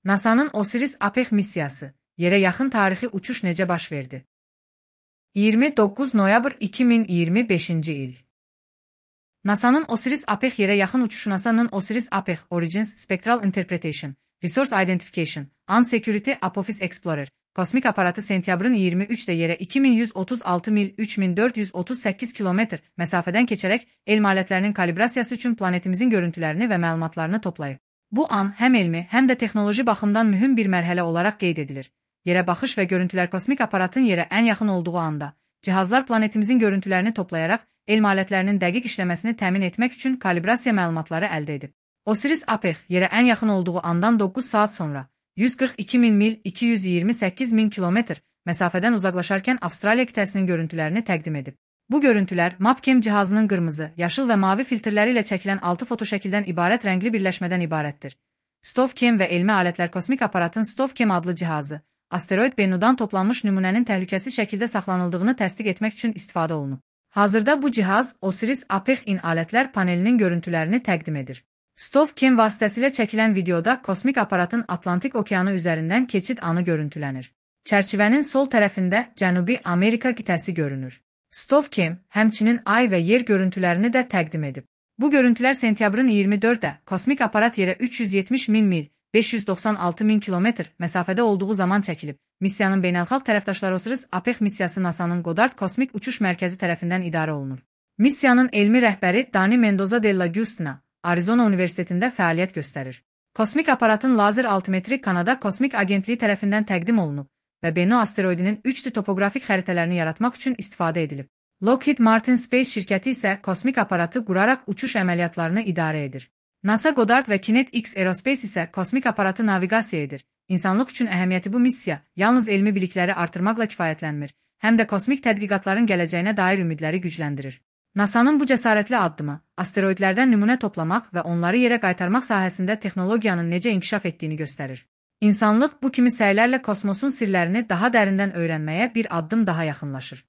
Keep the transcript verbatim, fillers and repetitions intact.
NASA'nın OSIRIS-APEX missiyası, yerə yaxın tarixi uçuş necə baş verdi? iyirmi doqquz noyabr iki min iyirmi beşinci il. NASA'nın OSIRIS-APEX yerə yaxın uçuşu NASA'nın OSIRIS-APEX Origins Spectral Interpretation, Resource Identification, Unsecurity Apophis Explorer, kosmik aparatı sentyabrın iyirmi üçdə yerə iki min yüz otuz altı mil üç min dörd yüz otuz səkkiz kilometr məsafədən keçərək elm alətlərinin kalibrasiyası üçün planetimizin görüntülərini və məlumatlarını toplayıb. Bu an həm elmi, həm də texnoloji baxımdan mühüm bir mərhələ olaraq qeyd edilir. Yerə baxış və görüntülər kosmik aparatın yerə ən yaxın olduğu anda, cihazlar planetimizin görüntülərini toplayaraq elm alətlərinin dəqiq işləməsini təmin etmək üçün kalibrasiya məlumatları əldə edib. OSIRIS-APEX yerə ən yaxın olduğu andan doqquz saat sonra yüz qırx iki min mil iki yüz iyirmi səkkiz min kilometr məsafədən uzaqlaşarkən Avstraliya qitəsinin görüntülərini təqdim edib. Bu görüntülər MapCam cihazının qırmızı, yaşıl və mavi filtrləri ilə çəkilən altı fotoşəkildən ibarət rəngli birləşmədən ibarətdir. STOVCam və elmi alətlər kosmik aparatın STOVCam adlı cihazı, asteroid Bennu'dan toplanmış nümunənin təhlükəsiz şəkildə saxlanıldığını təsdiq etmək üçün istifadə olunub. Hazırda bu cihaz OSIRIS-APEX-in alətlər panelinin görüntülərini təqdim edir. STOVCam vasitəsilə çəkilən videoda kosmik aparatın Atlantik okeanı üzərindən keçid anı görüntülənir. Çərçivənin sol tərəfində Cənubi Amerika qitəsi görünür. STOVCam həmçinin ay və yer görüntülərini də təqdim edib. Bu görüntülər sentyabrın iyirmi dörddə kosmik aparat yerə üç yüz yetmiş min mil beş yüz doxsan altı min kilometr məsafədə olduğu zaman çəkilib. Missiyanın beynəlxalq tərəfdaşları OSIRIS-APEX missiyası NASA'nın Goddard Kosmik Uçuş Mərkəzi tərəfindən idarə olunur. Missiyanın elmi rəhbəri Dani Mendoza Della Giustina, Arizona Universitetində fəaliyyət göstərir. Kosmik aparatın lazer altimetri Kanada Kosmik Agentliyi tərəfindən təqdim olunub və Bennu asteroidinin üç D topoqrafik xəritələrini yaratmaq üçün istifadə edilib. Lockheed Martin Space şirkəti isə kosmik aparatı quraraq uçuş əməliyyatlarını idarə edir. NASA Goddard və KinetX Aerospace isə kosmik aparatı naviqasiya edir. İnsanlıq üçün əhəmiyyəti bu missiya yalnız elmi bilikləri artırmaqla kifayətlənmir, həm də kosmik tədqiqatların gələcəyinə dair ümidləri gücləndirir. NASA'nın bu cəsarətli addımı, asteroidlərdən nümunə toplamaq və onları yerə qaytarmaq sahəsində texnologiyanın necə inkişaf etdiyini göstərir. İnsanlıq bu kimi səylərlə kosmosun sirlərini daha dərindən öyrənməyə bir addım daha yaxınlaşır.